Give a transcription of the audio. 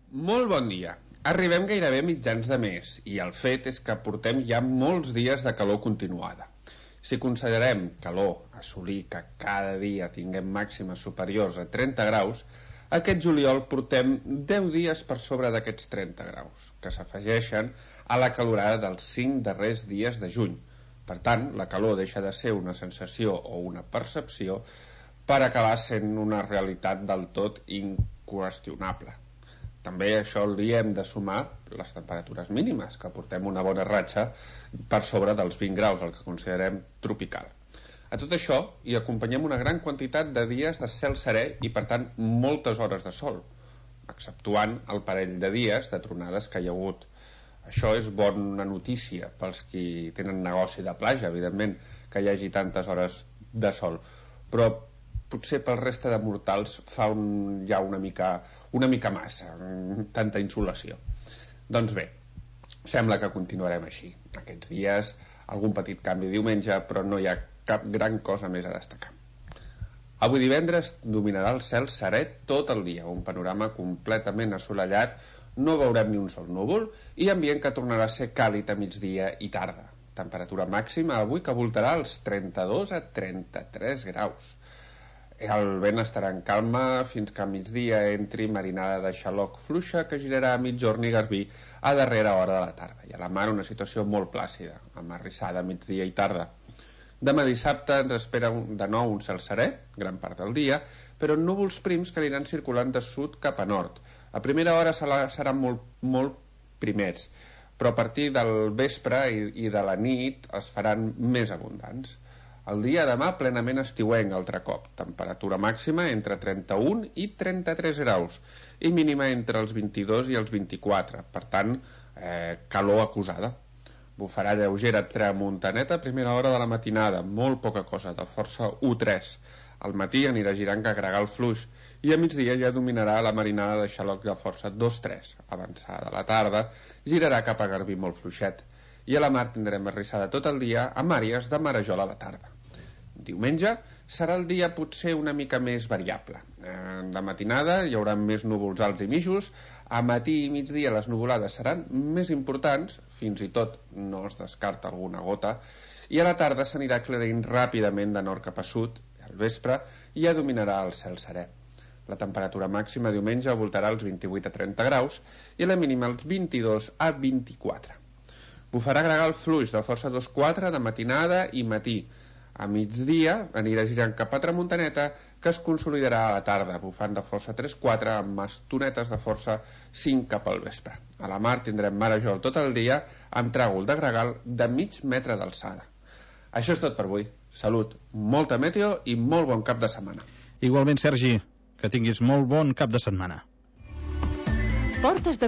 Molt bon dia. Arribem gairebé a mitjans de mes i el fet és que portem ja molts dies de calor continuada. Si considerem calor, assolir que cada dia tinguem màximes superiors a 30 graus, aquest juliol portem 10 dies per sobre d'aquests 30 graus, que s'afegeixen a la calorada dels 5 darrers dies de juny. Per tant, la calor deixa de ser una sensació o una percepció per acabar sent una realitat del tot inqüestionable. També això li hem de sumar les temperatures mínimes, que portem una bona ratxa per sobre dels 20 graus, el que considerem tropical. A tot això hi acompanyem una gran quantitat de dies de cel serè i, per tant, moltes hores de sol, exceptuant el parell de dies de tronades que hi ha hagut. Això és bona notícia pels qui tenen negoci de platja, evidentment, que hi hagi tantes hores de sol. Però potser pel resta de mortals fa ja una mica massa, tanta insolació. Doncs bé, sembla que continuarem així. Aquests dies, algun petit canvi diumenge, però no hi ha cap gran cosa més a destacar. Avui divendres dominarà el cel serè tot el dia, un panorama completament assolellat, no veurem ni un sol núvol i ambient que tornarà a ser càlid a migdia i tarda. Temperatura màxima avui que voltarà als 32 a 33 graus. El vent estarà en calma fins que a migdia entri marinada de xaloc fluixa que girarà a mitjorn i garbí a darrera hora de la tarda. I a la mar una situació molt plàcida, amb arrissada a migdia i tarda. Demà dissabte ens espera de nou un cel serè, gran part del dia, però núvols prims que aniran circulant de sud cap a nord. A primera hora seran molt primers, però a partir del vespre i de la nit es faran més abundants. El dia demà plenament estiuenc altre cop, temperatura màxima entre 31 i 33 graus i mínima entre els 22 i els 24, per tant, calor acusada. Bufarà lleugera tramuntaneta a primera hora de la matinada, molt poca cosa, de força 1-3. Al matí anirà girant que gregal fluix i a migdia ja dominarà la marinada de xaloc de força 2-3. Avançada la tarda, girarà cap a garbí molt fluixet i a la mar tindrem arrissada tot el dia amb àrees de marejol a la tarda. Diumenge serà el dia potser una mica més variable. De matinada hi haurà més núvols alts i mitjos, a matí i migdia les nuvolades seran més importants, fins i tot no es descarta alguna gota, i a la tarda s'anirà aclarint ràpidament de nord cap a sud, al vespre ja dominarà el cel serè. La temperatura màxima diumenge voltarà als 28 a 30 graus i la mínima als 22 a 24. Bufarà gregal fluix de força 2-4 de matinada i matí. A migdia anirà girant cap a tramuntaneta que es consolidarà a la tarda, bufant de força 3-4 amb estonetes de força 5 cap al vespre. A la mar tindrem marejol tot el dia amb tràgol de gregal de mig metre d'alçada. Això és tot per avui. Salut, molta meteo i molt bon cap de setmana. Igualment, Sergi, que tinguis molt bon cap de setmana. Portes de